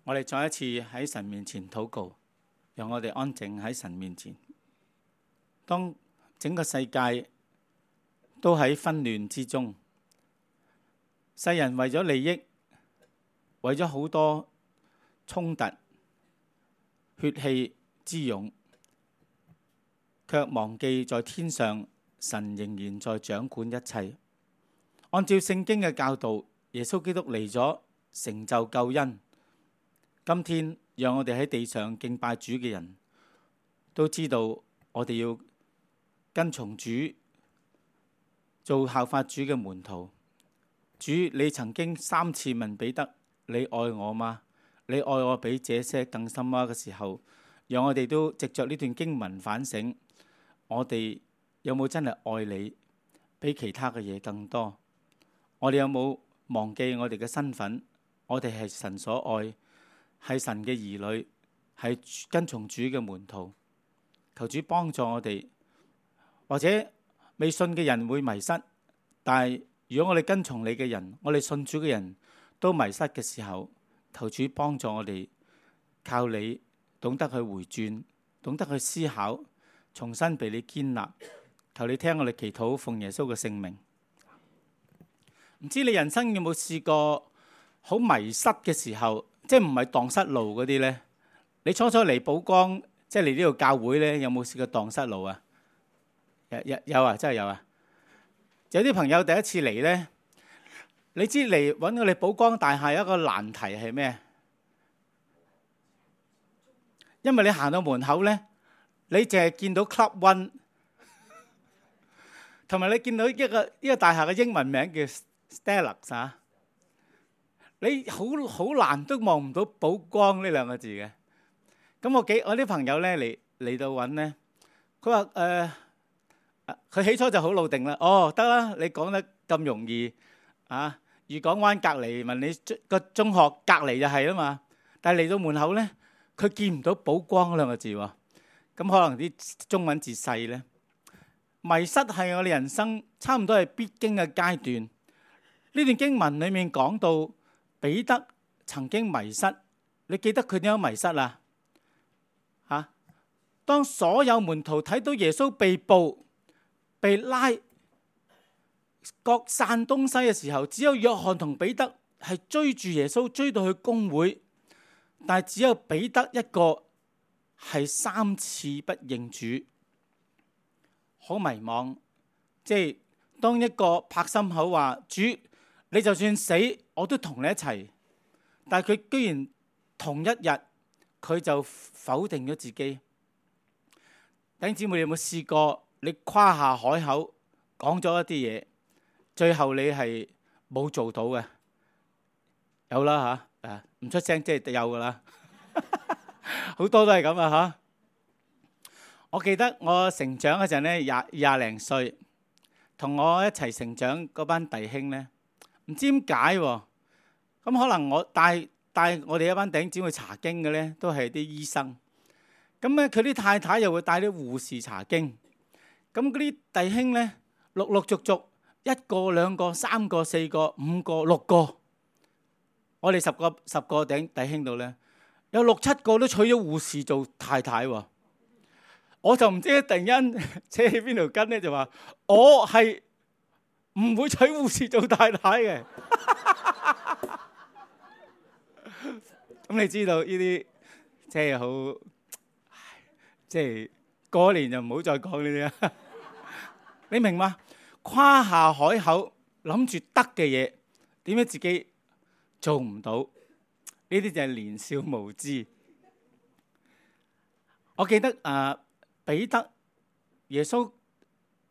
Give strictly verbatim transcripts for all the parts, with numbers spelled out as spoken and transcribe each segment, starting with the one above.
我哋再一次喺神面前禱告，讓我哋安靜喺神面前。當整個世界都喺紛亂之中，世人為咗利益，為咗好多衝突、血氣之勇，卻忘記在天上神仍然在掌管一切。按照聖經嘅教導，耶穌基督嚟咗成就救恩。今天讓我哋喺地上敬拜主嘅人都知道，我哋要跟從主，做效法主嘅門徒。主，你曾經三次問彼得：你愛我嗎？你愛我比這些更深嗎？嘅時候，讓我哋都藉着呢段經文反省，我哋有冇真係愛你比其他嘅嘢更多？我哋有冇忘記我哋嘅身份？我哋係神所愛，係神嘅兒女，係跟從主嘅門徒。求主幫助我哋。或者未信嘅人會迷失，但係如果我哋跟從你嘅人，我哋信主嘅人都迷失嘅時候，求主幫助我哋，靠你懂得去回轉，懂得去思考，重新被你建立。求你聽我哋祈禱，奉耶穌嘅聖名。唔知你人生有冇試過好迷失嘅時候，即係唔係蕩失路嗰啲呢？你初初嚟寶崗，即係嚟呢度教會呢，有冇試過蕩失路啊？有有有啊，真係有啊！有啲朋友第一次嚟呢，你知嚟揾我哋寶崗大廈有一個難題係咩？因為你行到門口呢，你淨係見到 Club One， 同埋你見到一個呢個大廈嘅英文名叫 Stella 啊，你好好難都望唔到寶崗呢兩個字嘅。咁我幾我啲朋友呢嚟嚟到揾呢，佢話誒。呃佢起初就好老定啦，哦得啦，你講得咁容易啊！漁港灣隔離，問你個中學隔離就係啦嘛。但係嚟到門口咧，佢見唔到寶崗嗰兩個字喎。咁可能啲中文字細咧，迷失係我哋人生差唔多係必經嘅階段。呢段經文裡面講到彼得曾經迷失，你記得佢點樣迷失啊？嚇！當所有門徒睇到耶穌被捕、被拉各散東西嘅時候，只有約翰同彼得係追住耶穌追到去公會，但係只有彼得一個係三次不認主，好迷茫。即係當一個拍心口話主，你就算死我都同你一齊，但係佢居然同一日佢就否定咗自己。弟兄姊妹，你有冇試過？你誇下海口講咗一啲嘢，最後你係冇做到嘅，有啦嚇，誒唔出聲即係有噶啦，好多都係咁啊嚇！我記得我成長嗰陣咧，廿廿零歲，同我一齊成長嗰班弟兄咧，唔知點解喎，咁可能我帶帶我哋一班弟兄姊妹查經嘅咧，都係啲醫生，咁咧佢啲太太又會帶啲護士查經。咁嗰啲弟兄咧，陸陸續續一個、兩個、三個、四個、五個、六個，我哋十個十個頂弟兄度咧，有六七個都娶咗護士做太太喎。我就唔知突然間扯起邊條筋咧，就話我係唔會娶護士做太太嘅。咁你知道呢啲即係好，即係過年就唔好再講呢啲啦。你明嘛？誇下海口，諗住得嘅嘢，點解自己做唔到？呢啲就係年少無知。我記得啊，彼得耶穌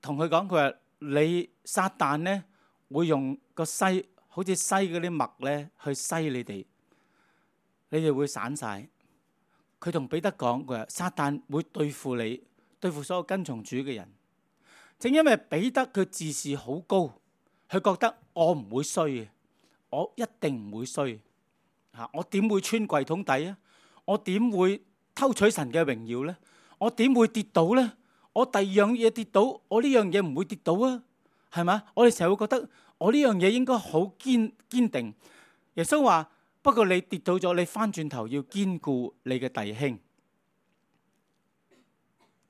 同佢講，佢話你撒旦咧會用個篩，好似篩嗰啲麥咧去篩你哋，你哋會散晒。佢同彼得講，佢話撒旦會對付你，對付所有跟從主嘅人。正因為彼得佢自視好高，佢覺得我唔會衰嘅，我一定唔會衰嚇，我點會穿櫃桶底啊？我點會偷取神嘅榮耀咧？我點會跌倒咧？我第二樣嘢跌倒，我呢樣嘢唔會跌倒啊？係嘛？我哋成日會覺得我呢樣嘢應該好堅堅定。耶穌話不過你跌倒咗，你翻轉頭要堅固你嘅弟兄。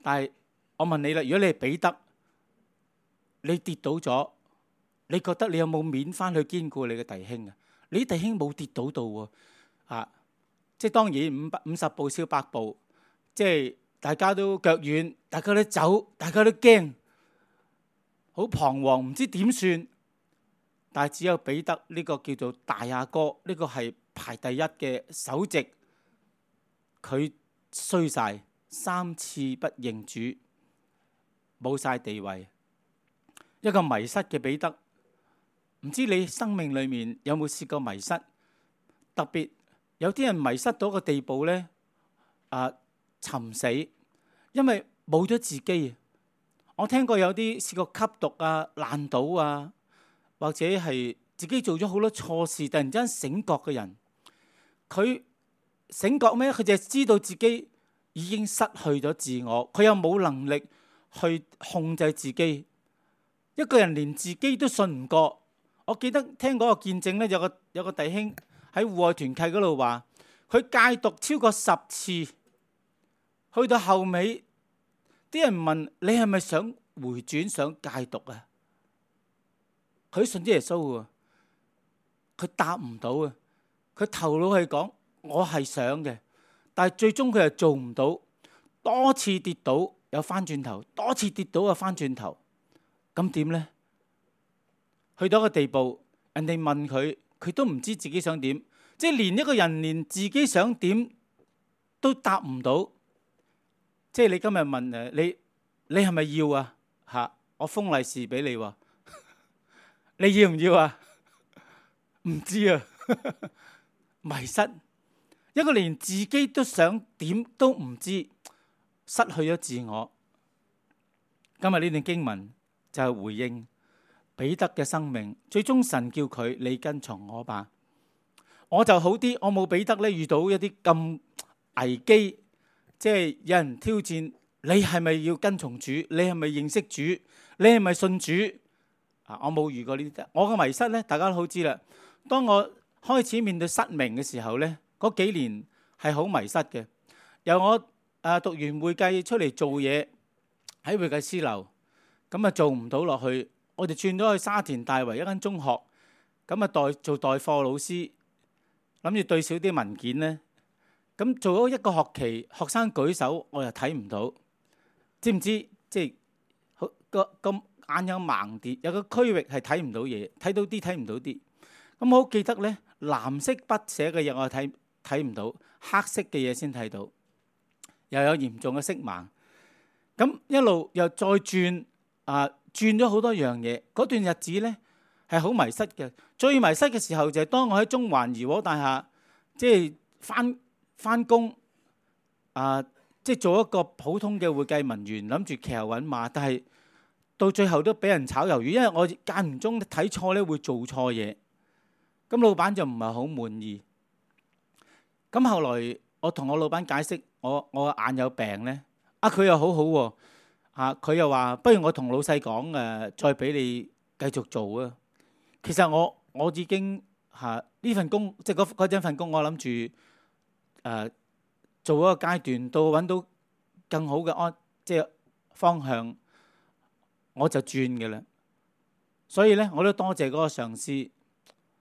但係我問你啦，如果你係彼得，你跌倒咗，你覺得你有冇面翻去堅固你嘅弟兄啊？你弟兄冇跌倒到喎，啊！即係當然五百五十步笑百步，即係大家都腳軟，大家都走，大家都驚，好彷徨，唔知點算。但係只有彼得呢個叫做大阿哥，呢個係排第一嘅首席，佢衰晒，三次不認主，冇晒地位，一個迷失嘅彼得。唔知你生命裏面有冇試過迷失？特別有啲人迷失到個地步咧，啊，尋死，因為冇咗自己。我聽過有啲試過吸毒啊、爛賭啊，或者係自己做咗好多錯事，突然之間醒覺嘅人，佢醒覺咩？佢就係知道自己已經失去咗自我，佢又冇能力去控制自己。一個人連自己都信唔過。我記得聽嗰個見證咧，有個有個弟兄喺戶外團契嗰度話，佢戒毒超過十次，去到後尾，啲人問你係咪想回轉想戒毒啊？佢信啲耶穌喎，佢答唔到啊！佢頭腦係講我係想嘅，但係最終佢又做唔到，多次跌倒又翻轉頭，多次跌倒又翻轉頭，咁點咧？去到一個地步，人哋問佢，佢都唔知自己想點，即係連一個人連自己想點都答唔到。即係你今日問誒，你你係咪要啊？嚇，我封利是俾你喎，你要唔要啊？唔知啊，迷失，一個連自己都想點都唔知，失去咗自我。今日呢段經文就係回應彼得嘅生命，最終神叫佢你跟從我吧。我就好啲，我冇彼得咧遇到一啲咁危機，即係有人挑戰你係咪要跟從主，你係咪認識主，你係咪信主啊？我冇遇過呢啲。我嘅迷失咧，大家都好知啦。當我開始面對失明嘅時候咧，嗰幾年係好迷失嘅。由我誒讀完會計出嚟做嘢喺會計師樓，咁啊做唔到落去。我哋轉咗去沙田大圍一間中學，咁啊代做代課老師，諗住對少啲文件咧。咁做咗一個學期，學生舉手我又睇唔到，知唔知？即係個個眼有盲點，有個區域係睇唔到嘢，睇到啲睇唔到啲。咁我好記得咧，藍色筆寫嘅嘢我睇睇唔到，黑色嘅嘢先睇到，又有嚴重嘅色盲。咁一路又再轉啊！轉咗好多樣嘢，嗰段日子咧係好迷失嘅。最迷失嘅時候就係當我喺中環怡和大廈，即係翻翻工啊，即係做一個普通嘅會計文員，諗住騎牛揾馬，但係到最後都俾人炒魷魚，因為我間唔中睇錯咧會做錯嘢，咁老闆就唔係好滿意。咁後來我同我老闆解釋，我我眼有病咧，啊佢又好好喎。啊！佢又話：不如我同老細講誒，再俾你繼續做啊！其實我我已經嚇呢份工，即係嗰嗰陣份工，我諗住誒做一個階段，到揾到更好嘅安即係方向，我就轉嘅啦。所以咧，我都多謝嗰個上司。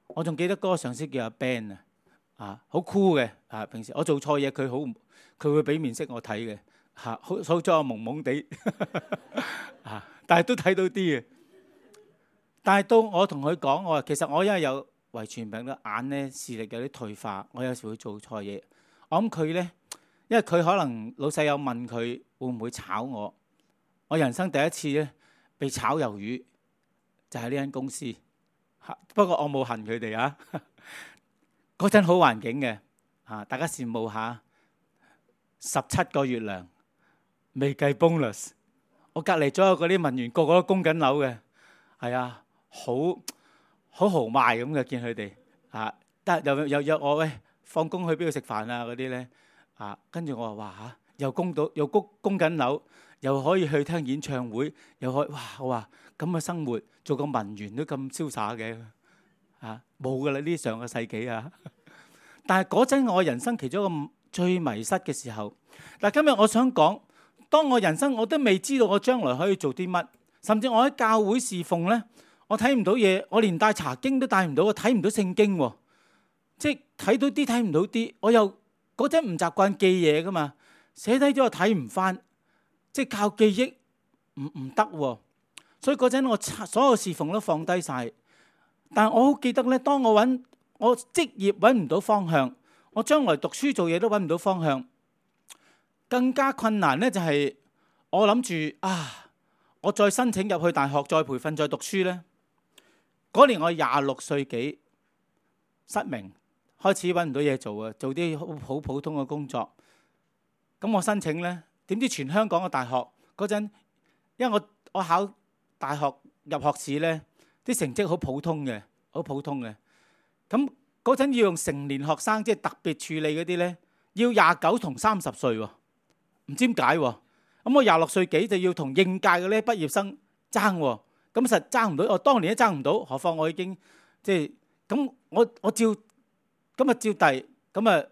我仲記得嗰個上司叫阿 Ben 啊，啊好酷嘅啊！平時我做錯嘢，佢好佢會俾面色我睇嘅。嚇，好好彩我蒙蒙地，嚇，但係都睇到啲嘅。但係到我同佢講，我話其實我因為有遺傳病咧，眼咧視力有啲退化，我有時會做錯嘢。我諗佢咧，因為佢可能老細有問佢會唔會炒我，我人生第一次咧被炒魷魚，就係呢間公司。嚇，不過我冇恨佢哋啊。嗰陣好環境嘅，嚇大家羨慕下，十七個月糧。未計 bonus，我隔離左右嗰啲文員個個都供緊樓嘅，係啊，好好豪邁咁嘅見佢哋啊，得又又約我喂放工去邊度食飯啊嗰啲咧啊，跟住我話哇嚇，又供到又供供緊樓，又可以去聽演唱會，又可以哇我話咁嘅生活做個文員都咁瀟灑嘅啊，冇噶啦呢上個世紀啊，但係嗰陣我人生其中一個最迷失嘅時候。嗱，今日我想講，當我人生我都未知道我將來可以做啲乜，甚至我喺教會侍奉呢，我睇唔到嘢，我連帶查經都帶唔到，我睇唔到聖經喎，即係睇到啲睇唔到啲，我又嗰陣唔習慣記嘢噶嘛，寫低咗我睇唔翻，即係靠記憶唔唔得喎，所以嗰陣我所有侍奉都放低晒。但係我好記得咧，當我揾我職業揾唔到方向，我將來讀書做嘢都揾唔到方向，更加困難咧就係我諗住啊，我再申請入去大學，再培訓，再讀書咧。嗰年我廿六歲幾，失明，開始揾唔到嘢做啊，做啲好好普通嘅工作。咁我申請咧，點知全香港嘅大學嗰陣，因為我我考大學入學試咧，啲成績好普通嘅，好普通嘅。咁嗰陣要用成年學生，即係特別處理嗰啲咧，要廿九同三十歲喎，唔知點解喎。咁我廿六歲幾就要同應屆嘅咧畢業生爭喎，咁實爭唔到。我當年都爭唔到，何況我已經即係咁，我我照咁啊照遞，咁啊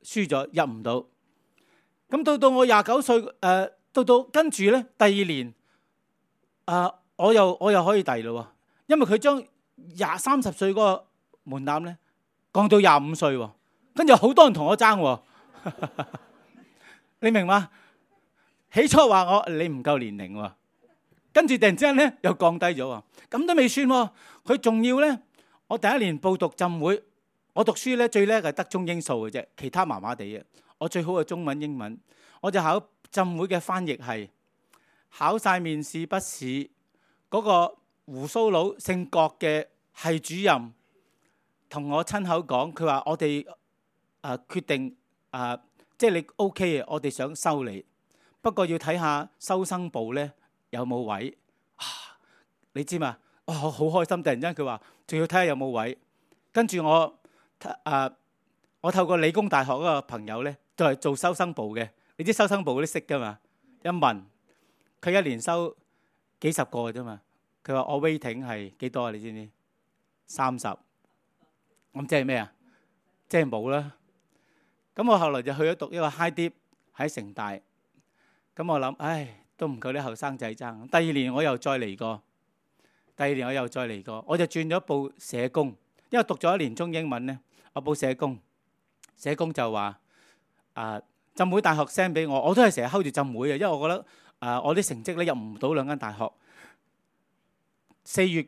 輸咗入唔到。咁到到我廿九歲，誒、呃、到到跟住咧第二年，啊、呃、我又我又可以遞咯，因為佢將廿三十歲嗰個門檻咧降到廿五歲喎，跟住好多人同我爭喎，你明嗎？起初話我你唔夠年齡喎，跟住突然之間咧又降低咗喎，咁都未算喎，佢仲要咧，我第一年報讀浸會，我讀書咧最叻係得中英數嘅啫，其他麻麻地嘅。我最好係中文英文，我就考浸會嘅翻譯系，考晒面試筆試，嗰、那個鬍鬚佬姓郭嘅系主任同我親口講，佢話我哋誒、呃、決定誒、呃，即係你 OK 嘅，我哋想收你，不過要睇下收生部咧有冇位。啊，你知嘛？我好開心，突然間佢話仲要睇下有冇位，跟住我誒、呃、我透過理工大學嗰個朋友咧。就係做收生部嘅，你知收生部嗰啲識噶嘛？一問佢一年收幾十個嘅啫嘛。佢話我 waiting 係幾多啊？你知唔知？三十。咁即係咩啊？即係冇啦。咁我後來就去咗讀一個 high dip 喺城大。咁我諗，唉，都唔夠啲後生仔爭。第二年我又再嚟過，第二年我又再嚟過，我就轉咗報社工，因為讀咗一年中英文咧，我報社工。社工就話。啊！浸會大學 send 俾我，我都係成日 hold 住浸會嘅，因為我覺得啊，我啲成績咧入唔到兩間大學。四月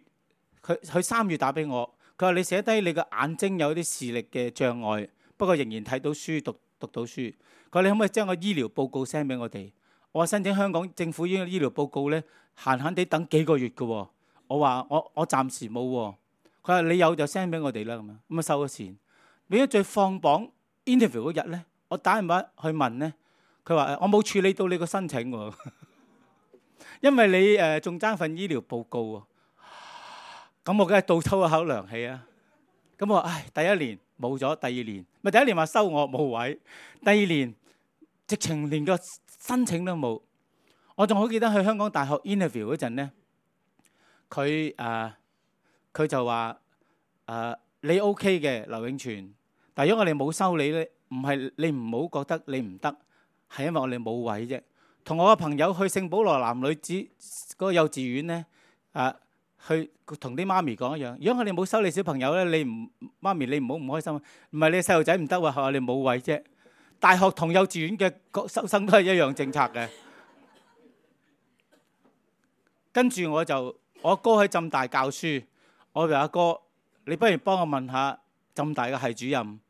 佢佢三月打俾我，佢話你寫低你個眼睛有啲視力嘅障礙，不過仍然睇到書讀讀到書。佢話你可唔可以將個醫療報告 send 俾我哋？我話申請香港政府醫醫療報告咧，閒閒地等幾個月嘅喎。我話我我暫時冇喎。佢話你有就 send 俾我哋啦，咁樣咁啊收咗錢。變咗最放榜 interview 嗰日咧。我打電話去問咧，佢話我冇處理到你個申請喎，因為你誒仲爭份醫療報告喎。咁我梗係倒抽一口涼氣啊！咁我話唉，第一年冇咗，第二年咪第一年話收我冇位，第二年直情連個申請都冇。我仲好記得去香港大學 interview 嗰陣咧，佢誒佢就話誒、呃、你 OK 嘅劉永全，但係如果我哋冇收你咧。唔係你唔好覺得你唔得，係因為我哋冇位啫。同我個朋友去聖保羅男女子嗰個幼稚園咧，啊，去同啲媽咪講一樣。如果我哋冇收你小朋友咧，你唔媽咪你唔好唔開心。唔係你細路仔唔得喎，係我哋冇位啫。大學同幼稚園嘅收生都係一樣政策嘅。跟住我就我阿哥喺浸大教書，我話阿哥，你不如幫我問下浸大嘅系主任。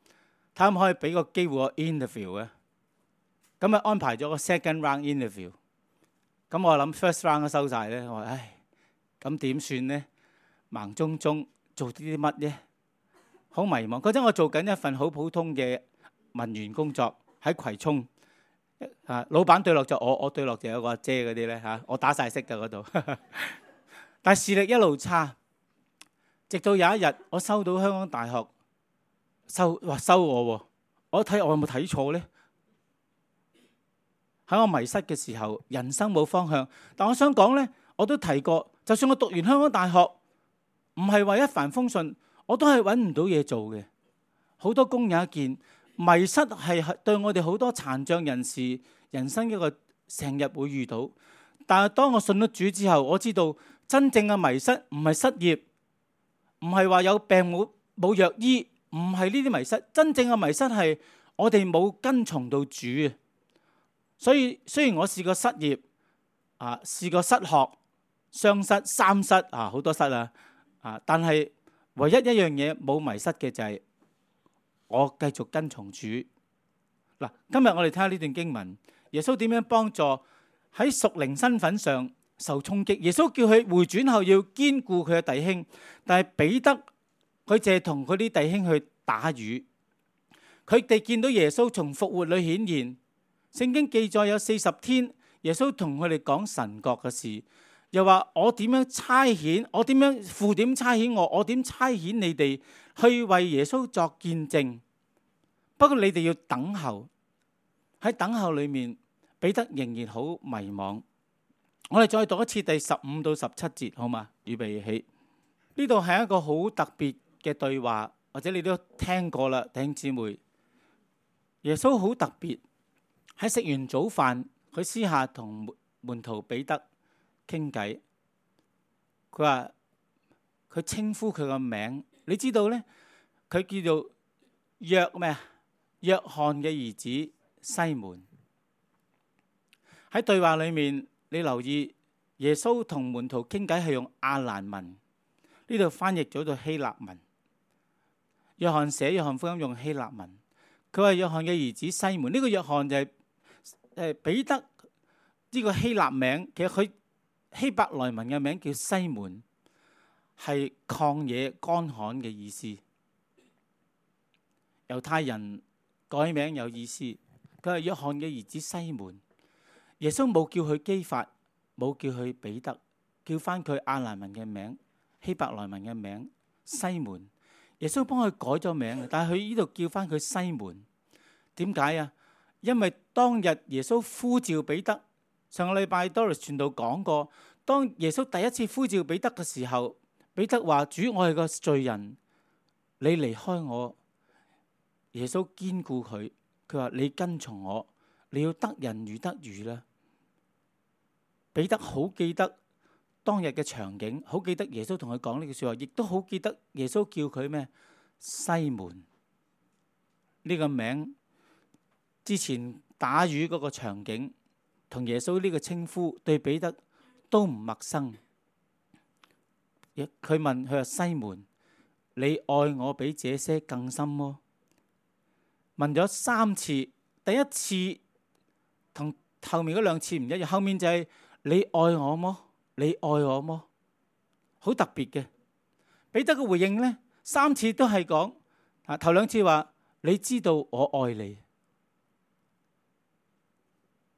睇可唔可以俾個機會我 interview 嘅？咁啊安排咗個 second round interview。咁我諗 first round 都收晒咧，我話唉，咁點算咧？盲中中做啲啲乜咧？好迷茫。嗰陣我做緊一份好普通嘅文員工作喺葵涌。啊，老闆對落就我，我對落就有個阿姐嗰啲咧嚇，我打晒色㗎嗰度。但係視力一路差，直到有一日我收到香港大學。收話收我喎，我睇我有冇睇錯咧？喺我迷失嘅時候，人生冇方向。但我想講咧，我都提過，就算我讀完香港大學，唔係話一帆風順，我都係揾唔到嘢做嘅。好多公有一見，迷失係對我哋好多殘障人士人生一個成日會遇到。但係當我信咗主之後，我知道真正嘅迷失唔係失業，唔係話有病冇冇藥醫，唔係呢啲迷失。真正嘅迷失係我哋冇跟從到主啊！所以雖然我試過失業啊，試過失學、雙失、三失啊，好多失啊啊！但係唯一一樣嘢冇迷失嘅就係我繼續跟從主。嗱，今日我哋睇下呢段經文，耶穌點樣幫助喺屬靈身份上受衝擊。耶穌叫佢回轉後要堅固佢嘅弟兄，但係彼得佢淨係同佢啲弟兄去打魚。佢哋見到耶穌從復活裏顯現，聖經記載有四十天，耶穌同佢哋講神國嘅事，又話我點樣差遣，我點樣父點差遣我，我點差遣你哋去為耶穌作見證。不過你哋要等候，喺等候裏面，彼得仍然好迷惘。我哋再讀一次第十五到十七節，好嘛？預備起。呢度係一個好特別嘅對話，或者你都聽過啦，弟兄姊妹。耶穌好特別，喺食完早飯，佢私下同門徒彼得傾偈。佢話佢稱呼佢個名，你知道呢？佢叫做約咩啊？約翰嘅兒子西門。喺對話裏面，你留意耶穌同門徒傾偈係用亞蘭文，呢度翻譯咗到希臘文。約翰寫約翰福音用希臘文。佢話約翰嘅兒子西門，呢、這個約翰就係誒彼得呢個希臘名，其實佢希伯來文嘅名叫西門，係曠野乾旱嘅意思。猶太人改名有意思。佢係約翰嘅兒子西門。耶穌冇叫佢基法，冇叫佢彼得，叫翻佢亞蘭文嘅名、希伯來文嘅名西門。耶穌幫佢改咗名，但係佢呢度叫翻佢西門。點解啊？因為當日耶穌呼召彼得，上個禮拜 Doris 傳道講過，當耶穌第一次呼召彼得嘅時候，彼得話：主，我係個罪人，你離開我。耶穌堅固佢，佢話你跟從我，你要得人如得魚啦。彼得好記得當日嘅場景，好記得耶穌同佢講呢句說話，亦都好記得耶穌叫佢咩？西門呢個名。之前打魚嗰個場景，同耶穌呢個稱呼對彼得都唔陌生。佢問佢話：西門，你愛我比這些更深麼？問咗三次，第一次同後面嗰兩次唔一樣，後面就係你愛我麼？你愛我麼？好特別嘅。彼得嘅回應呢，三次都係講啊，頭兩次話你知道我愛你。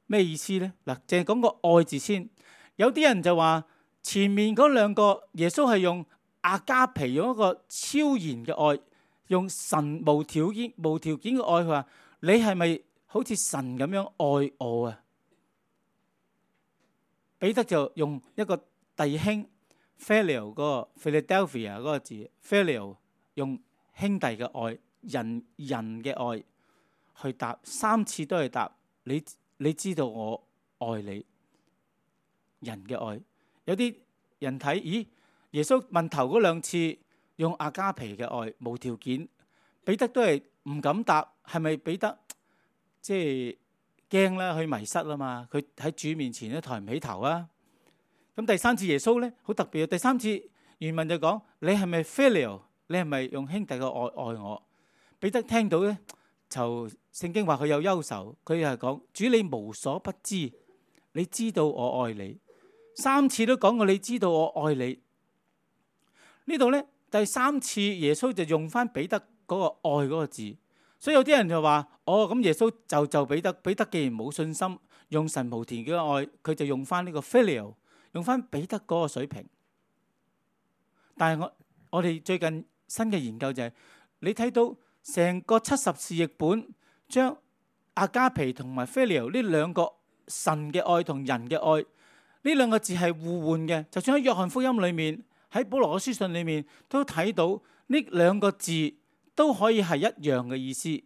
咩意思呢？嗱，淨係講個愛字先。有啲人就話前面嗰兩個耶穌係用阿加皮，用一個超然嘅愛，用神無條件、無條件嘅愛。佢話你係咪好似神咁樣愛我啊？彼得就用一個弟兄 Phileo 嗰個 Philadelphia 嗰個字 Phileo， 用兄弟嘅愛、人人嘅愛去答，三次都係答你。你知道我愛你，人嘅愛。有啲人睇，咦？耶穌問頭嗰兩次用阿加皮嘅愛，無條件，彼得都係唔敢答，係咪彼得即係驚啦？佢迷失啦嘛，佢喺主面前都抬唔起頭啊。咁第三次耶穌咧好特別啊！第三次原文就講你係咪 filial？ 你係咪用兄弟嘅愛愛我？彼得聽到咧。就聖經話佢有憂愁，佢又係講主你無所不知，你知道我愛你，三次都講過你知道我愛你。呢度呢，第三次耶穌就用翻彼得嗰個愛嗰個字，所以有啲人就話哦，咁耶穌就就彼得，彼得既然冇信心，用神無條件嘅愛，佢就用翻呢個 filial， 用翻彼得嗰個水平。但係我我哋最近新嘅研究就係、是、你睇到。成個七十士譯本將阿加皮同埋 filial 呢兩個神嘅愛同人嘅愛呢兩個字係互換嘅，就算喺約翰福音裏面，喺保羅嘅書信裏面都睇到呢兩個字都可以係一樣嘅意思。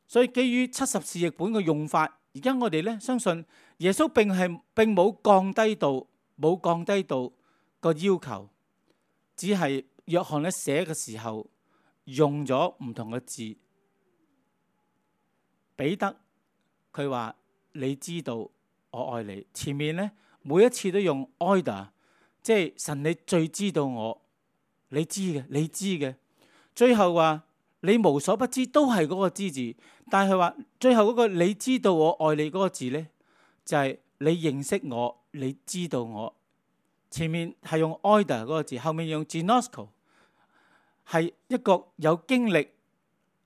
所以基於七十士譯本嘅用法，而家我哋咧相信耶穌並係並冇降低到冇降低到個要求，只係約翰咧寫嘅時候用咗唔同嘅字。彼得佢話你知道我愛你，前面咧每一次都用 order， 即係神你最知道我，你知嘅，你知嘅。最後話你無所不知，都係嗰個知字，但係佢話最後嗰個你知道我愛你嗰個字咧，就係、是、你認識我，你知道我。前面係用 order 嗰個字，後面用 ginosko， 係一個有經歷，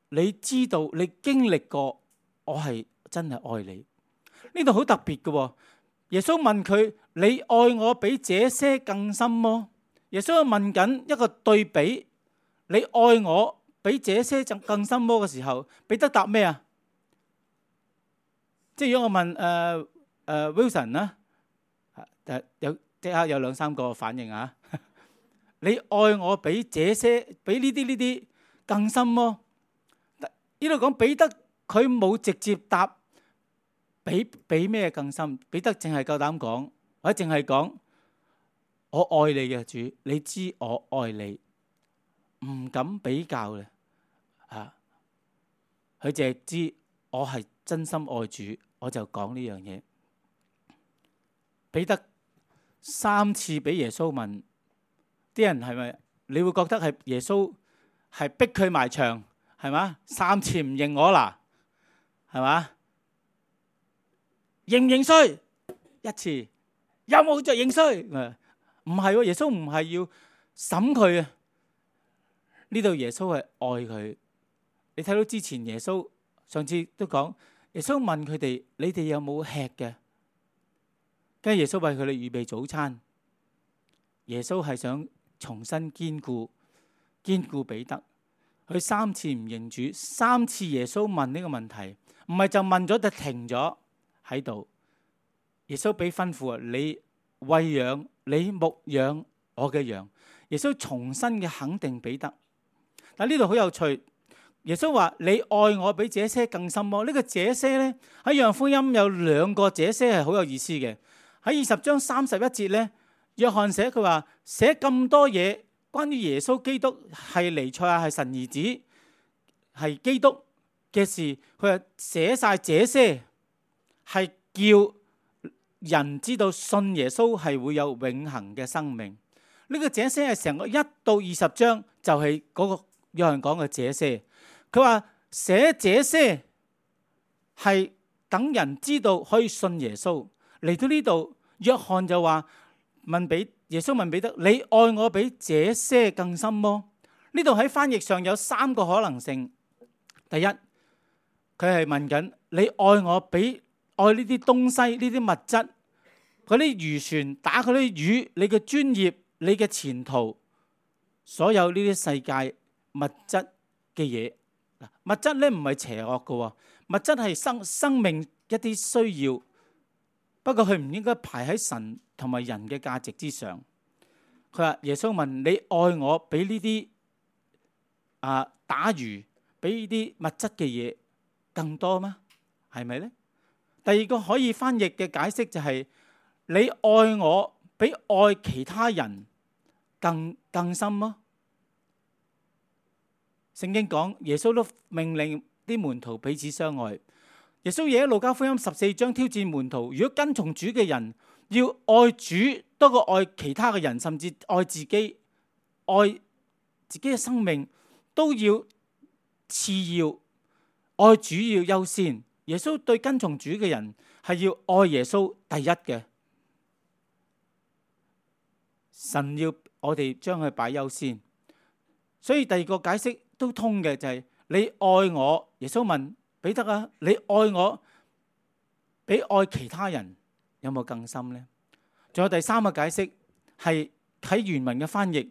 你知道你經歷過，我係真係愛你。呢度好特別嘅，耶穌問佢：你愛我比這些更深麼？耶穌問緊一個對比，你愛我比這些更深麼嘅時候，彼得答咩啊？即係如果我問誒誒、呃呃、Wilson 啦，誒有即刻有兩三個反應啊！你愛我比這些比呢啲呢啲更深麼？呢度講彼得佢冇直接答比比咩更深，彼得淨係夠膽講，或者淨係講我愛你嘅主，你知我愛你，唔敢比較嘅啊！佢淨係知我係真心愛主，我就講呢樣嘢。彼得三次俾耶穌問，啲人係咪你會覺得係耶穌係逼佢埋牆係嘛？三次唔認我啦，係嘛？認唔認衰？一次有冇就認衰？唔係喎，耶穌唔係要審佢啊！呢度耶穌係愛佢。你睇到之前耶穌上次都講，耶穌問佢哋：你哋有冇吃嘅？跟住耶穌為佢哋預備早餐。耶穌係想重新堅固堅固彼得。佢三次唔認主，三次耶穌問呢個問題，唔係就問咗就停咗喺度。耶穌俾吩咐啊，你餵養你牧養我嘅羊。耶穌重新嘅肯定彼得。但呢度好有趣，耶穌話你愛我比這些更深麼？呢個這些咧喺約翰福音有兩個這些係好有意思嘅。喺二十章三十一節咧，約翰寫佢話寫咁多嘢關於耶穌基督係彌賽亞係神兒子係基督嘅事，佢話寫晒這些係叫人知道信耶穌係會有永恆嘅生命。呢個這些係成個一到二十章就係嗰個約翰講嘅這些。佢話寫這些係等人知道可以信耶穌。嚟到呢度，約翰就話問彼耶穌問彼得：你愛我比這些更深麼？呢度喺翻譯上有三個可能性。第一，佢係問緊你愛我比愛呢啲東西呢啲物質，嗰啲漁船打嗰啲魚，你嘅專業，你嘅前途，所有呢啲世界物質嘅嘢。物質咧唔係邪惡嘅，物質係生生命一啲需要。不過佢唔應該排喺神同埋人嘅價值之上。佢話耶穌問你愛我比呢啲啊打魚比呢啲物質嘅嘢更多嗎？係咪呢？第二個可以翻譯嘅解釋就係、是、你愛我比愛其他人更更深嗎？聖經講耶穌都命令啲門徒彼此相愛。耶穌亦喺路加福音十四章挑戰門徒，如果跟從主嘅人要愛主多過愛其他嘅人，甚至愛自己，愛自己嘅生命都要次要，愛主要優先。耶穌對跟從主嘅人係要愛耶穌第一嘅。神要我哋將佢擺優先，所以第二個解釋都通嘅就係、是、你愛我。耶穌問彼得啊，你愛我比愛其他人有冇更深呢？仲有第三個解釋係喺原文嘅翻譯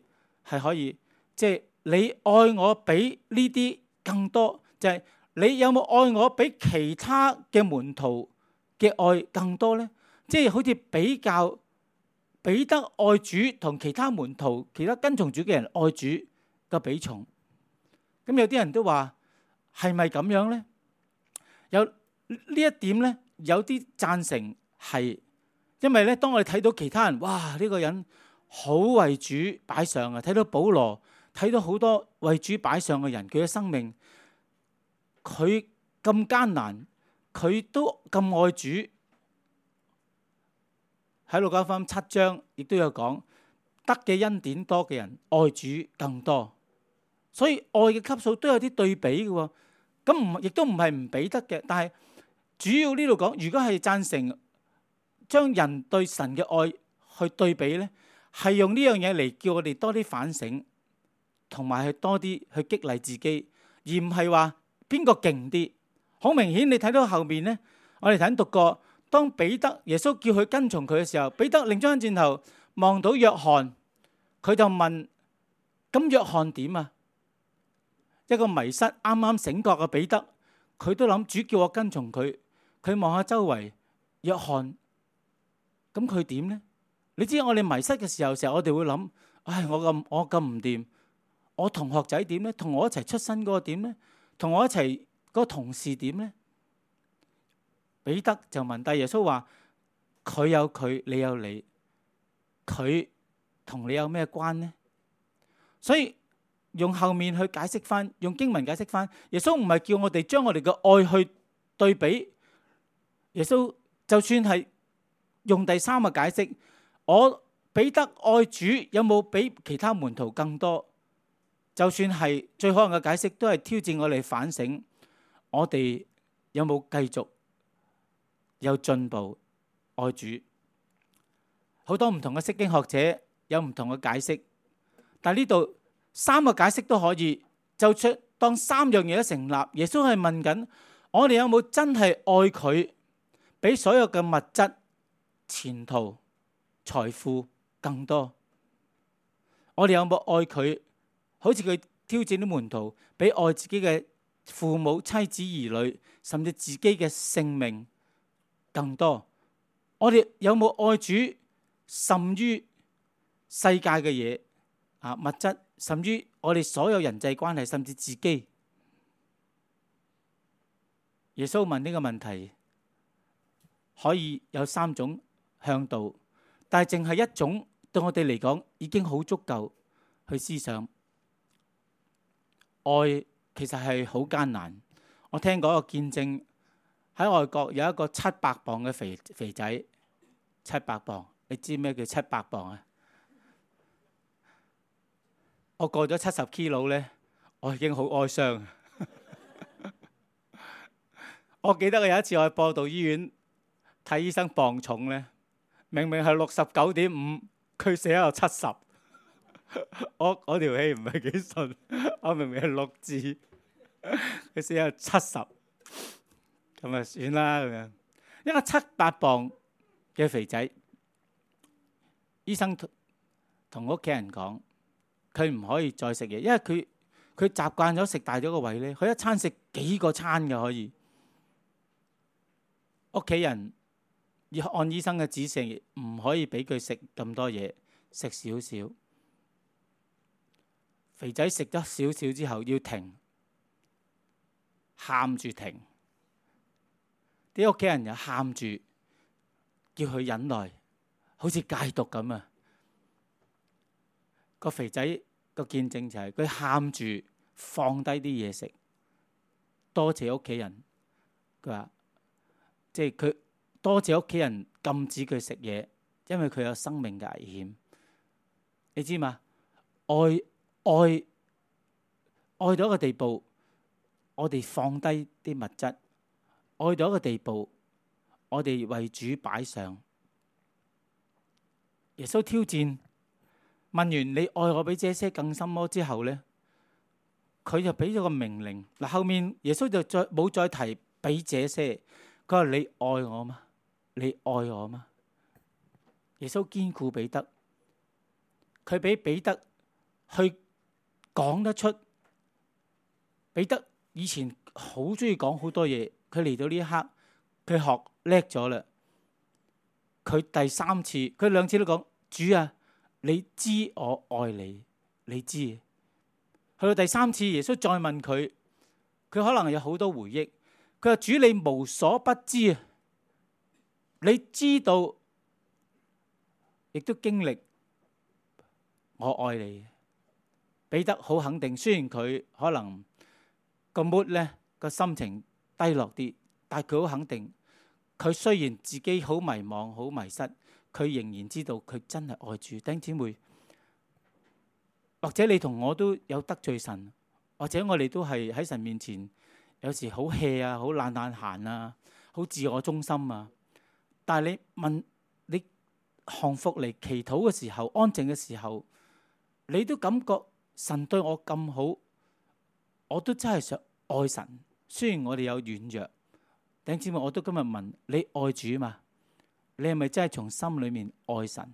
係可以，即係你愛我比呢啲更多，就係你有冇愛我比其他嘅門徒嘅愛更多呢？即係好似比較彼得愛主同其他門徒、其他跟從主嘅人愛主嘅比重。咁有啲人都話係咪咁樣咧？有呢一點咧，有啲贊成係，因為咧，當我哋睇到其他人，哇！呢個人好為主擺上啊，睇到保羅，睇到好多為主擺上嘅人，佢嘅生命，佢咁艱難，佢都咁愛主。喺路加福音七章亦都有講，得嘅恩典多嘅人愛主更多，所以愛嘅級數都有啲對比嘅喎。咁唔亦都唔係唔俾得嘅，但係主要呢度講，如果係贊成將人對神嘅愛去對比咧，係用呢樣嘢嚟叫我哋多啲反省，同埋去多啲去激勵自己，而唔係話邊個勁啲。好明顯，你睇到後面咧，我哋睇讀過。當彼得耶穌叫佢跟從佢嘅時候，彼得擰咗翻轉頭望到約翰，佢就問：咁約翰點啊？一個迷失啱啱醒覺嘅彼得，佢都諗主叫我跟從佢。佢望下周圍，約翰，咁佢點呢？你知我哋迷失嘅時候，成日我哋會諗：唉，我咁我咁唔掂，我同學仔點呢？同我一齊出身嗰個點呢？同我一齊嗰個同事點呢？彼得就問，但耶穌話：佢有佢，你有你，佢同你有咩關呢？所以用後面去解釋翻，用經文解釋翻，耶穌唔係叫我哋將我哋嘅愛去對比。耶穌就算係用第三個解釋，我彼得愛主有冇比其他門徒更多？就算係最可能嘅解釋，都係挑戰我哋反省，我哋有冇繼續有進步愛主？好多唔同嘅釋經學者有唔同嘅解釋，但係呢度三個解釋都可以，就出當三樣嘢都成立。耶穌係問緊我哋有冇真係愛佢，比所有嘅物質、前途、財富更多？我哋有冇愛佢？好似佢挑戰啲門徒，比愛自己嘅父母、妻子、兒女，甚至自己嘅性命更多？我哋有冇愛主甚於世界嘅嘢啊？物質甚於我哋所有人際關係，甚至自己？耶穌問呢個問題可以有三種向度，但係淨係一種對我哋嚟講已經好足夠去思想。愛其實係好艱難。我聽過一個見證，喺外國有一個七百磅嘅肥肥仔，七百磅，你知咩叫七百磅啊？我過咗七十 kilo 咧，我已經好哀傷。我記得我有一次我去播道醫院睇醫生磅重咧，明明係六十九點五，佢寫喺度七十。我我條氣唔係幾順，我明明係六字，佢寫有七十，咁啊算啦咁樣。一個七八磅嘅肥仔，醫生同屋企人講，佢唔可以再食嘢，因為佢佢習慣咗食大咗個胃咧，佢一餐食幾個餐嘅可以。屋企人要按醫生嘅指示，唔可以俾佢食咁多嘢，食少少。肥仔食咗少少之後要停，喊住停，啲屋企人又喊住叫佢忍耐，好似戒毒咁啊！個肥仔個見證就係佢喊住放低啲嘢食，多謝屋企人。佢話即係佢多謝屋企人禁止佢食嘢，因為佢有生命嘅危險。你知嘛？愛愛愛到一個地步，我哋放低啲物質；愛到一個地步，我哋為主擺上。耶穌挑戰，問完你愛我比這些更深麼之後咧，佢就俾咗個命令。嗱，後面耶穌就再冇再提比這些，佢話你愛我嗎？你愛我嗎？耶穌堅固彼得，佢俾彼得去講得出。彼得以前好中意講好多嘢，佢嚟到呢一刻，佢學叻咗啦。佢第三次，佢兩次都講：主啊，你知我愛你，你知。佢到第三次，耶穌再問佢，佢可能有好多回憶。佢話：主，你無所不知啊，你知道，亦都經歷，我愛你。彼得好肯定，雖然佢可能個 mood 咧，個心情低落啲，但係佢好肯定，佢雖然自己好迷茫、好迷失，佢仍然知道佢真係愛主。弟兄姊妹，或者你同我都有得罪神，或者我哋都係喺神面前有時好 hea 啊，好懶懶閒啊，好自我中心啊。但係你問你降服嚟祈禱嘅時候，安靜嘅時候，你都感覺神對我咁好，我都真係想愛神。雖然我哋有軟弱，弟兄姊妹，我都今日問你愛主嘛？你係咪真係從心裏面愛神？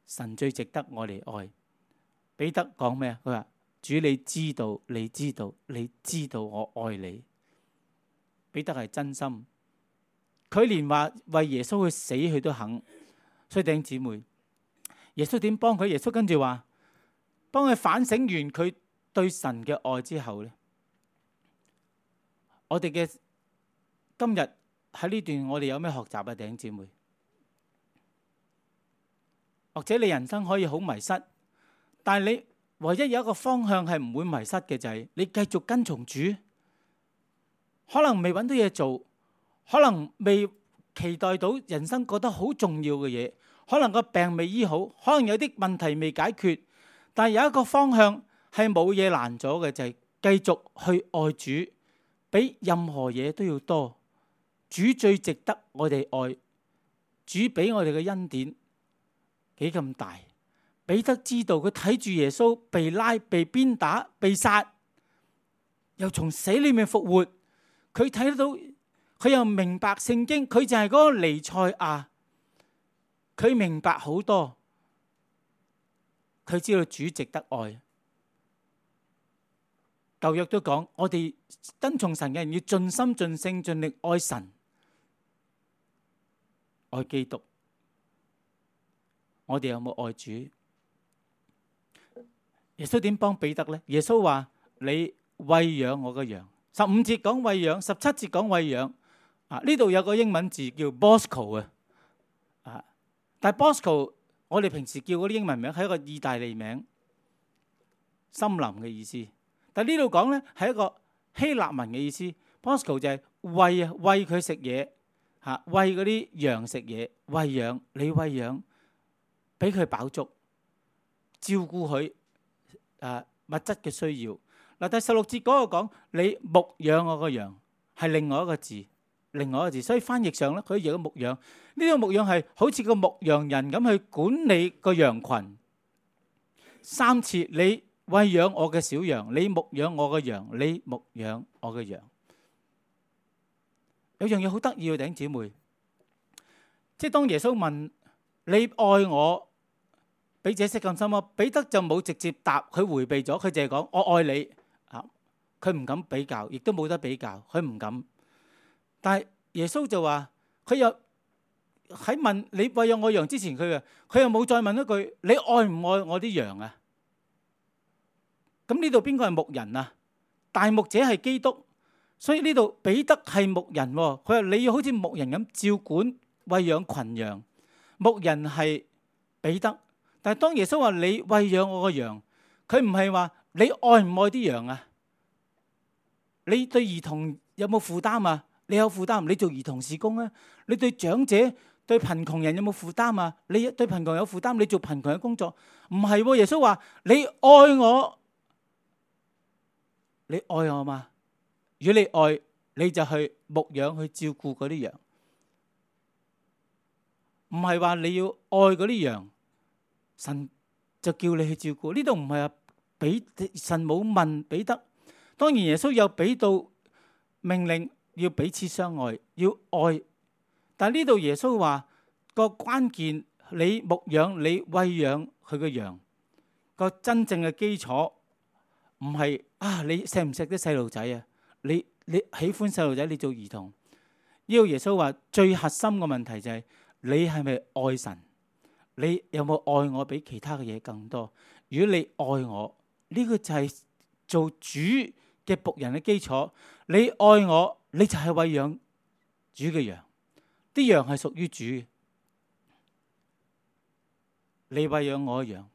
神最值得我哋愛。彼得講咩啊？佢話：主，你知道，你知道，你知道我愛你。彼得係真心，佢連話為耶穌去死佢都肯。所以弟兄姊妹，耶穌點幫佢？耶穌跟住話，幫佢反省完佢對神嘅愛之後咧，我哋嘅今日喺呢段我哋有咩學習啊？弟兄姊妹，或者你人生可以好迷失，但係你唯一有一個方向係唔會迷失嘅，就係你繼續跟從主。可能未揾到嘢做，可能未期待到人生覺得好重要嘅嘢，可能個病未醫好，可能有啲問題未解決，但係有一個方向係冇嘢難咗嘅，就係繼續去愛主，比任何嘢都要多。主最值得我哋愛，主俾我哋嘅恩典幾咁大。彼得知道佢睇住耶穌被拉、被鞭打、被殺，又從死裏面復活。佢睇得到，佢又明白聖經，佢就係嗰個彌賽亞。佢明白好多，佢知道主值得愛。舊約都講，我哋跟從神嘅人要盡心盡性盡力愛神、愛基督。我哋有冇愛主？耶穌點幫彼得呢？耶穌話：你餵養我嘅羊。十五節講餵養，十七節講餵養。啊，呢度有個英文字叫 Bosco 啊。啊，但係 Bosco 我哋平時叫嗰啲英文名係一個意大利名，森林嘅意思。但係呢度講咧係一個希臘文嘅意思。Bosco 就係餵啊，餵佢食嘢嚇，餵嗰啲羊食嘢，餵養你餵養，俾佢飽足，照顧佢啊物質嘅需要。嗱，第十六節嗰個講你牧養我個羊，係另外一個字，另外一個字，所以翻譯上咧佢譯咗牧養。呢個牧養係好似個牧羊人咁去管理個羊群。三次你餵養我嘅小羊，你牧養我嘅羊，你牧養我嘅羊。有樣嘢好得意嘅，弟兄姊妹，即係當耶穌問你愛我比這些更深嗎？彼得就冇直接答，佢迴避咗，佢淨係講我愛你。佢唔敢比較，亦都冇得比較，佢唔敢。但係耶穌就話，佢又喺問你餵養我羊之前，佢啊，佢又冇再問一句你愛唔愛我啲羊啊？咁呢度邊個係牧人啊？大牧者係基督，所以呢度彼得係牧人。佢話你要好似牧人咁照管餵養群羊，牧人係彼得。但係當耶穌話你餵養我個羊，佢唔係話你愛唔愛啲羊啊？你對兒童有冇負擔啊？你有負擔，你做兒童事工啊？你對長者、對貧窮人有冇負擔啊？你對貧窮有負擔，你做貧窮嘅工作？唔係，耶穌話你愛我，你愛我嘛？如果你愛，你就去牧養、去照顧嗰啲羊。唔係話你要愛嗰啲羊，神就叫你去照顧。呢度唔係話俾神冇問彼得。當然耶穌有俾到命令要彼此相愛，要愛。但係呢度耶穌話個關鍵，你牧養、你餵養佢嘅羊，個真正嘅基礎唔係啊你錫唔錫啲細路仔啊？你你喜歡細路仔，你做兒童。呢個耶穌話最核心嘅問題就係你係咪愛神？你有冇愛我比其他嘅嘢更多？如果你愛我，呢個就係做主嘅僕人嘅基礎。你愛我，你就係餵養主嘅羊，啲羊係屬於主嘅。你餵養我嘅羊。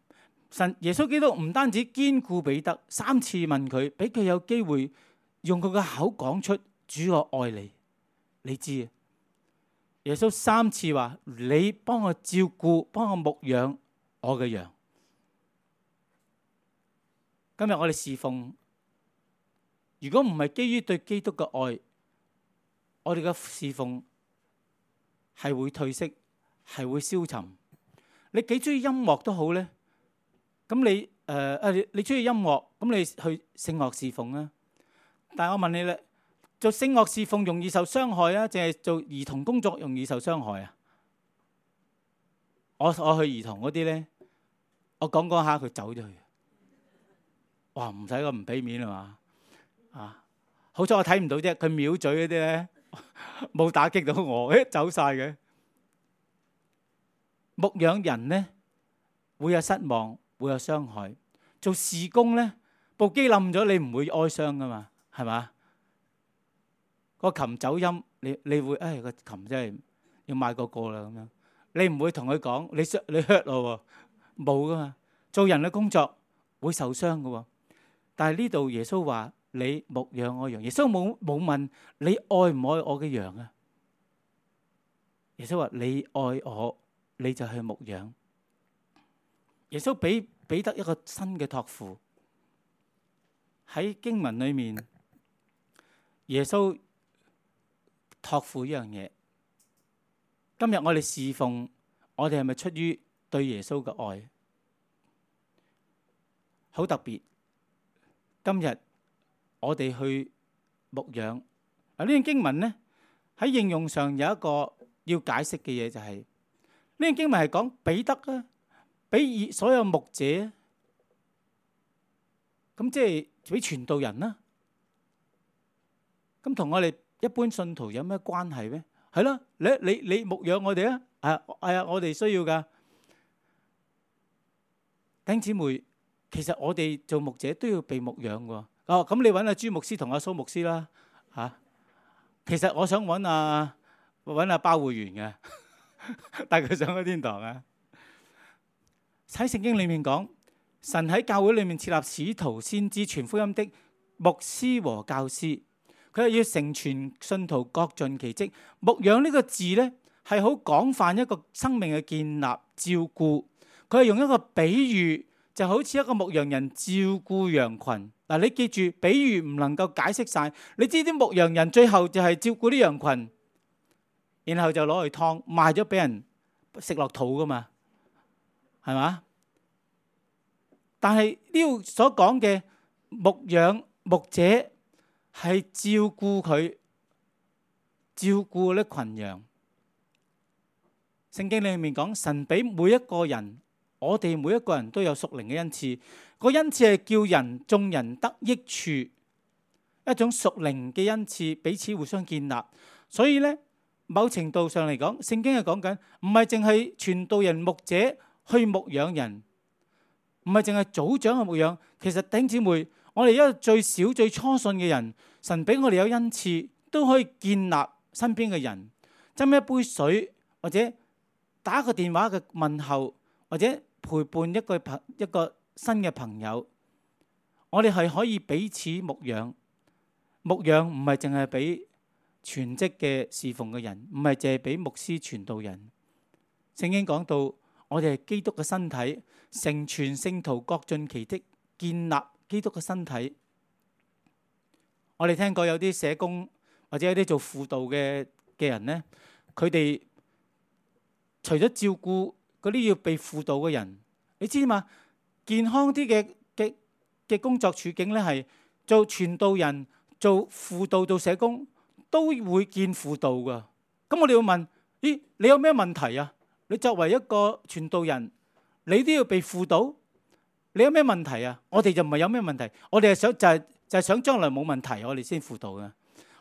神耶穌基督唔單止堅固彼得，三次問佢，俾佢有機會用佢嘅口講出主我愛你。你知啊？耶穌三次話你幫我照顧，幫我牧養我嘅羊。今日我哋侍奉，如果唔係基於對基督嘅愛，我哋嘅侍奉係會褪色，係會消沉。你幾中意音樂都好咧，咁你誒誒、呃，你中意音樂，咁你去聖樂侍奉啊。但係我問你咧，做聖樂侍奉容易受傷害啊，定係做兒童工作容易受傷害啊？我我去兒童嗰啲咧，我講講下佢走咗去，哇！唔使咁唔俾面啊嘛啊！好彩我睇唔到啫，佢藐嘴嗰啲咧冇打擊到我，誒走晒嘅。牧養人咧會有失望，會有傷害。做事工咧，部機冧咗，你唔會哀傷噶嘛，係嘛？個琴走音，你你會誒個琴真係要買個個啦咁樣。你唔會同佢講你傷你 hurt 咯喎，冇噶嘛。做人嘅工作會受傷噶喎，但係呢度耶穌話你牧養我羊。耶穌冇冇問你愛唔愛我嘅羊啊？耶穌話你愛我，你就去牧養。耶穌俾彼得一個新嘅託付。喺經文裏面，耶穌託付一樣嘢。今日我哋侍奉，我哋係咪出於對耶穌嘅愛？好特別。今日我哋去牧養。嗱，呢段經文咧喺應用上有一個要解釋嘅嘢，就係呢段經文係講彼得啊，俾所有牧者，咁即係俾傳道人啦。咁同我哋一般信徒有咩關係咩？係咯，你你你牧養我哋啊，係係啊，我哋需要噶。弟兄姊妹，其實我哋做牧者都要被牧養喎。哦，咁你揾阿朱牧師同阿蘇牧師啦，嚇。其實我想揾阿揾阿包會員嘅，帶佢上個天堂啊。喺聖經裏面講，神喺教會裏面設立使徒、先知、傳福音的牧師和教師。佢係要成全信徒，各盡其職。牧養呢個字呢，係好廣泛一個生命嘅建立、照顧。佢係用一個比喻，就好似一個牧羊人照顧羊群。嗱，你記住，比喻唔能夠解釋晒。你知啲牧羊人最後就係照顧啲羊群，然後就攞去劏賣咗俾人食落肚噶嘛，係嘛？但係呢度所講嘅牧養牧者係照顧佢，照顧呢群羊。聖經裏面講，神俾每一個人，我哋每一個人都有屬靈嘅恩賜。個恩賜係叫人眾人得益處，一種屬靈嘅恩賜，彼此互相建立。所以咧，某程度上嚟講，聖經係講緊唔係淨係傳道人牧者去牧養人，唔係淨係組長去牧養。其實弟兄姊妹，我哋一個最少最初信嘅人，神俾我哋有恩賜，都可以建立身邊嘅人，斟一杯水，或者打個電話嘅問候，或者陪伴一個朋一個新嘅朋友。我哋係可以彼此牧養。牧養唔係淨係俾全職嘅侍奉嘅人，唔係淨係俾牧師傳道人。聖經講到我哋係基督嘅身體，成全聖徒，各盡其職，建立基督嘅身體。我哋聽過有啲社工或者有啲做輔導嘅嘅人呢，佢哋除咗照顧嗰啲要被輔導嘅人，你知嘛？健康啲嘅嘅嘅工作處境咧，係做傳道人、做輔導、做社工都會見輔導噶。咁我哋要問：咦，你有咩問題啊？你作為一個傳道人，你都要被輔導，你有咩問題啊？我哋就唔係有咩問題，我哋係想就係就係想將來冇問題，我哋先輔導嘅。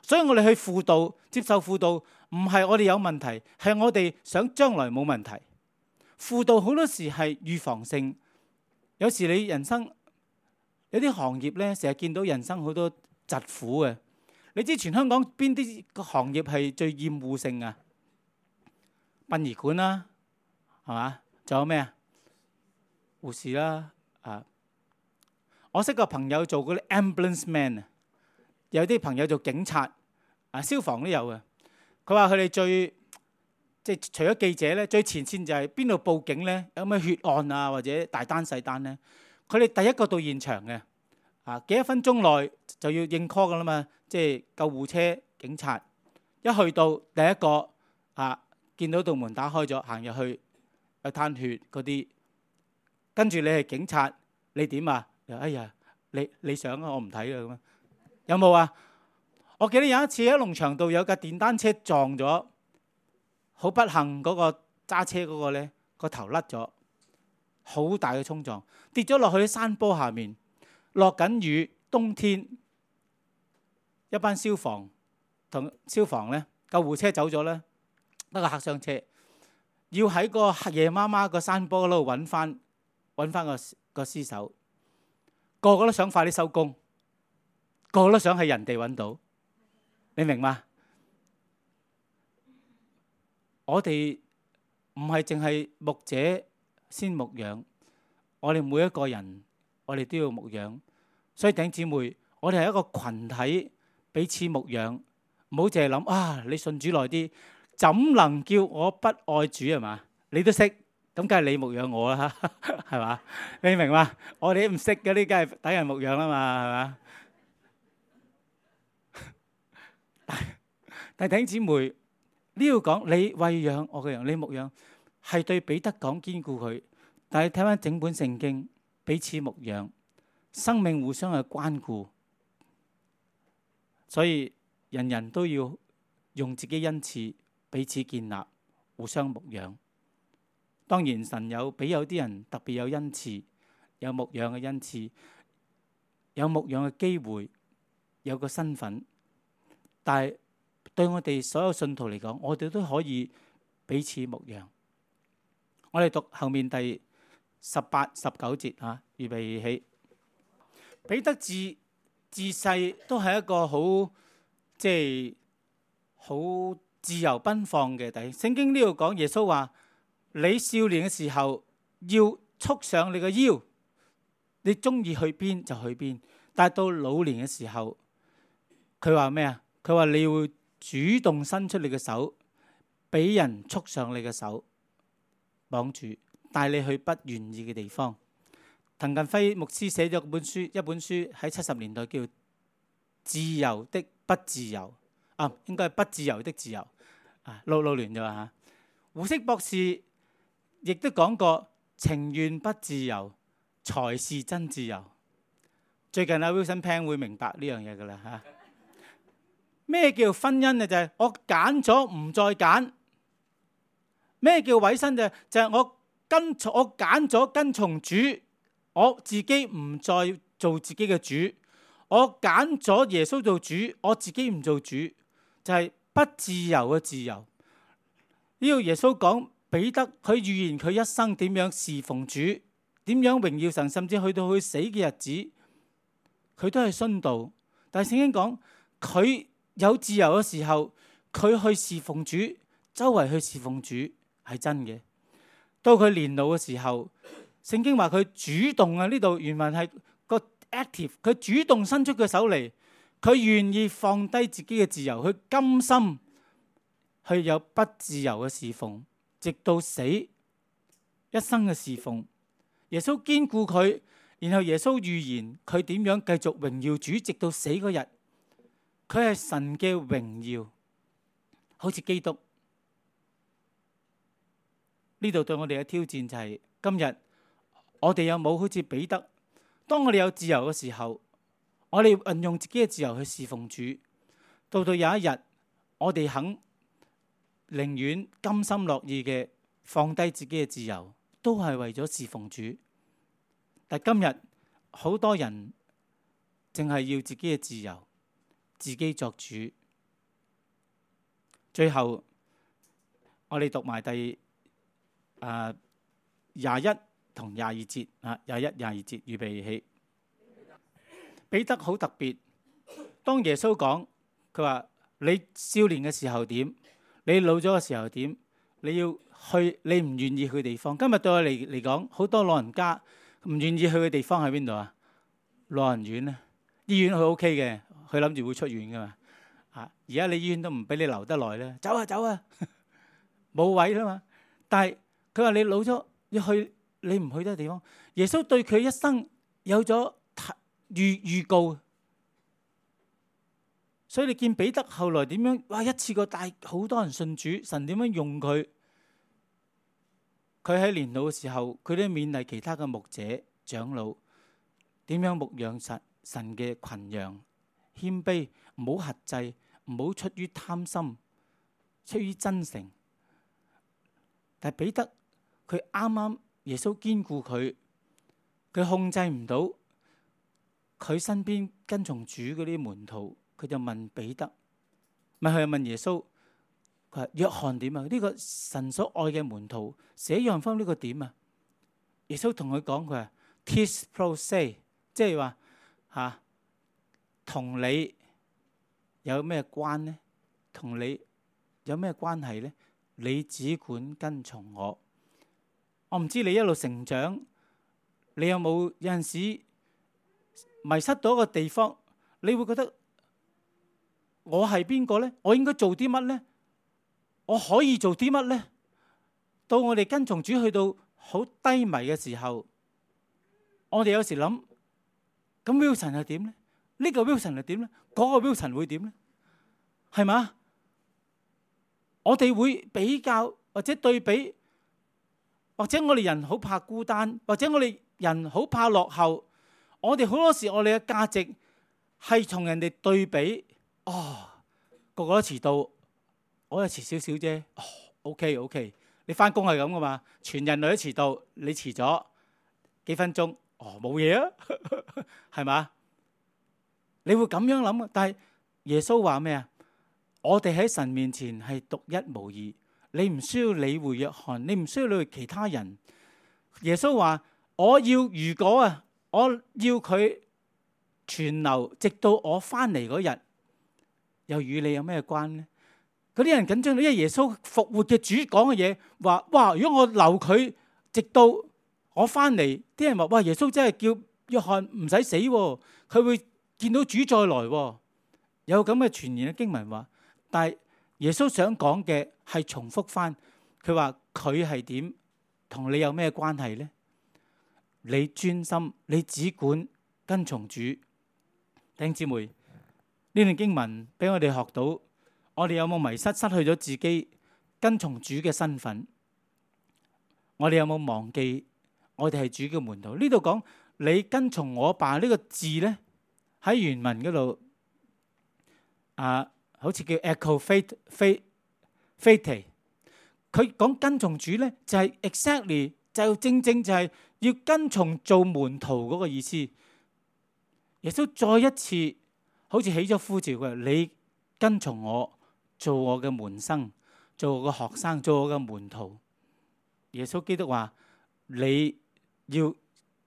所以我哋去輔導、接受輔導，唔係我哋有問題，係我哋想將來冇問題。輔導好多時係預防性。有時你人生有啲行業咧，成日見到人生好多疾苦嘅。你知全香港邊啲個行業係最厭惡性啊？殯儀館啦，係嘛？仲有咩啊？護士啦，啊！我識個朋友做嗰啲 ambulance man 啊，有啲朋友做警察，啊消防都有嘅。佢話佢哋最即係除咗記者咧，最前線就係邊度報警咧，有咩血案啊或者大單細單咧，佢哋第一個到現場嘅，啊幾多分鐘內就要應 call 噶啦嘛，即係救護車、警察一去到第一個啊，見到道門打開咗，行入去有攤血嗰啲，跟住你係警察，你點啊？哎呀，你你想啊，我唔睇啦咁啊，有冇啊？我記得有一次喺農場度有架電單車撞咗，好不幸嗰個揸車嗰個咧個頭甩咗，好大嘅衝撞，跌咗落去啲山坡下面，落緊雨，冬天，一班消防同消防咧救護車走咗咧，得個客傷車，要喺個夜媽媽個山坡嗰度揾翻揾翻個個屍首。個個都想快啲收工，個個都想係人哋揾到，你明嗎？我哋唔係淨係牧者先牧養，我哋每一個人，我哋都要牧養。所以弟兄姊妹，我哋係一個群體，彼此牧養，唔好淨係諗啊！你信主耐啲，怎能叫我不愛主係嘛？你都識。咁梗係你牧養我啦，係嘛？你明嘛？我哋唔識嗰啲，梗係等人牧養啦嘛，係嘛？但係弟兄姊妹，呢度講你餵養我嘅羊，你牧養係對彼得講堅固佢。但係睇翻整本聖經，彼此牧養，生命互相嘅關顧，所以人人都要用自己恩賜彼此建立，互相牧養。當然神有俾有啲人特別有恩賜，有牧養嘅恩賜，有牧養嘅機會，有個身份。但係對我哋所有信徒嚟講，我哋都可以彼此牧養。我哋讀後面第十八、十九節嚇，預備起。彼得自自細都係一個好即係好自由奔放嘅弟兄。聖經呢度講耶穌話：你少年嘅時候要束上你個腰，你中意去邊就去邊。但係到老年嘅時候，佢話咩啊？佢話你會主動伸出你嘅手，俾人束上你嘅手，綁住，帶你去不願意嘅地方。滕近輝牧師寫咗本書，一本書喺七十年代叫《自由的不自由》，啊，應該係不自由的自由，啊，撈撈亂咗嚇。胡適博士亦都講過，情願不自由才是真自由。最近阿 Wilson Pan 會明白呢樣嘢噶啦嚇。咩叫婚姻啊？就係我揀咗唔再揀。咩叫委身就就係我跟從我揀咗跟從主，我自己唔再做自己嘅主。我揀咗耶穌做主，我自己唔做主，就係不自由嘅自由。呢個耶穌講。彼得佢預言佢一生點樣侍奉主，點樣榮耀神，甚至去到佢死嘅日子，佢都係殉道。但係聖經講佢有自由嘅時候，佢去侍奉主，周圍去侍奉主係真嘅。到佢年老嘅時候，聖經話佢主動啊，呢度原文係個 active， 佢主動伸出佢手嚟，佢願意放低自己嘅自由，佢甘心去有不自由嘅侍奉。直到死，一生嘅侍奉，耶穌堅固佢，然後耶穌預言佢點樣繼續榮耀主，直到死嗰日，佢係神嘅榮耀，好似基督。呢度對我哋嘅挑戰就係、是、今日我哋有冇好似彼得，當我哋有自由嘅時候，我哋運用自己嘅自由去侍奉主，到到有一日我哋肯。寧願甘心樂意嘅放低自己嘅自由，都係為咗侍奉主。但今日好多人淨係要自己嘅自由，自己作主。最後我哋讀埋第啊廿一同廿二節啊，廿一廿二節預備起。彼得好特別。當耶穌講，佢話你少年嘅時候點，你老咗嘅時候點，你要去你唔願意去嘅地方。今日對我嚟嚟講，好多老人家唔願意去嘅地方喺邊度啊？老人院咧，醫院佢 O K 嘅，佢諗住會出院噶嘛。啊，而家你醫院都唔俾你留得耐咧，走啊走啊，冇位啦嘛。但係佢話你老咗要去，你唔去得地方。耶穌對佢一生有咗預預告，所以你見彼得後來點樣？哇！一次過帶好多人信主，神點樣用佢？佢喺年老嘅時候，佢都勉勵其他嘅牧者長老點樣牧養神神嘅群羊，謙卑，唔好轄制，唔好出於貪心，出於真誠。但係彼得佢啱啱耶穌堅固佢，佢控制唔到佢身邊跟從主嗰啲門徒，佢就問彼得，咪佢又問耶穌，佢話約翰點啊？呢個神所愛嘅門徒寫約翰福音呢個點啊？耶穌同佢講，佢話 tis pro se， 即係話吓同你有咩關呢？同你有咩關係呢？你只管跟從我。我唔知你一路成長，你有冇有陣時迷失到一個地方，你會覺得我係邊個呢？我應該做啲乜呢？我可以做啲乜呢？到我哋跟從主去到好低迷嘅時候，我哋有時諗，咁 Wilson 係點呢？呢個 Wilson 係點呢？嗰個 Wilson 會點呢？係嘛？我哋會比較或者對比，或者我哋人好怕孤單，或者我哋人好怕落後。我哋好多時我哋嘅價值係同人哋對比。哦，個個都遲到，我又遲少少啫。哦 ，OK OK， 你翻工係咁噶嘛？全人類都遲到，你遲咗幾分鐘，哦冇嘢啊，係嘛？你會咁樣諗啊？但係耶穌話咩啊？我哋喺神面前係獨一無二，你唔需要理會約翰，你唔需要理會其他人。耶穌話：我要如果啊，我要佢存留，直到我翻嚟嗰日，又與你有咩關呢？嗰啲人緊張到，因為耶穌復活嘅主講嘅嘢，話哇，如果我留佢，直到我翻嚟，啲人話哇，耶穌真係叫約翰唔使死，佢會見到主再來。有咁嘅傳言嘅經文話。但係耶穌想講嘅係重複翻，佢話佢係點，同你有咩關係呢？你專心，你只管跟從主。弟兄姊妹，呢段經文俾我哋學到，我哋有冇迷失，失去咗自己跟從主嘅身份？我哋有冇忘記我哋係主嘅門徒？呢度講你跟從我吧呢個字呢，喺原文嗰度啊。好似叫 echo faith faith faith， 佢講跟從主咧，就係 exactly 就正正就係要跟從做門徒嗰個意思。耶穌再一次好似起咗呼召嘅，你跟從我做我嘅門生，做我嘅學生，做我嘅門徒。耶穌基督話你要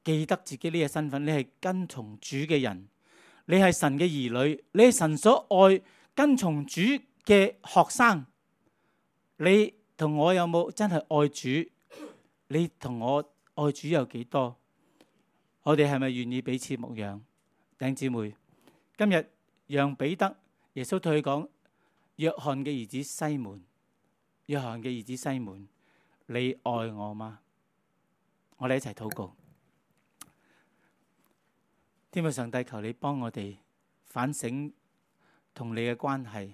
記得自己呢個身份，你係跟從主嘅人，你係神嘅兒女，你係神所愛。跟從主嘅學生，你同我有冇真係愛主？你同我愛主有幾多？我哋係咪願意彼此牧養？弟兄姊妹，今日讓彼得，耶穌對佢講：約翰嘅兒子西門，約翰嘅兒子西門，你愛我嗎？我哋一齊禱告。天父上帝，求你幫我哋反省同你嘅關係，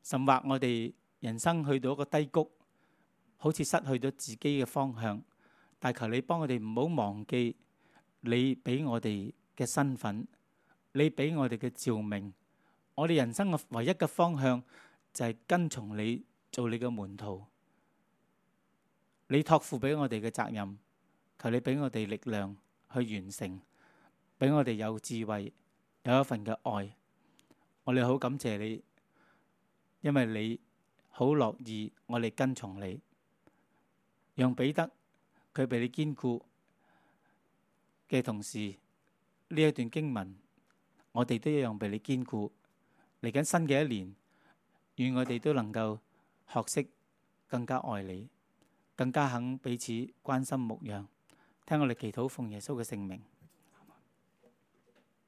甚或我哋人生去到一個低谷，好似失去咗自己嘅方向。但求你幫我哋唔好忘記你俾我哋嘅身份，你俾我哋嘅召命。我哋人生嘅唯一嘅方向就係跟從你，做你嘅門徒。你託付俾我哋嘅責任，求你俾我哋力量去完成，俾我哋有智慧，有一份嘅愛。我哋好感謝你，因為你好樂意我哋跟從你，讓彼得佢被你堅固嘅同時，呢呢一段經文，我哋都一樣被你堅固。嚟緊新嘅一年，願我哋都能夠學識更加愛你，更加肯彼此關心牧養。聽我哋祈禱，奉耶穌嘅聖名。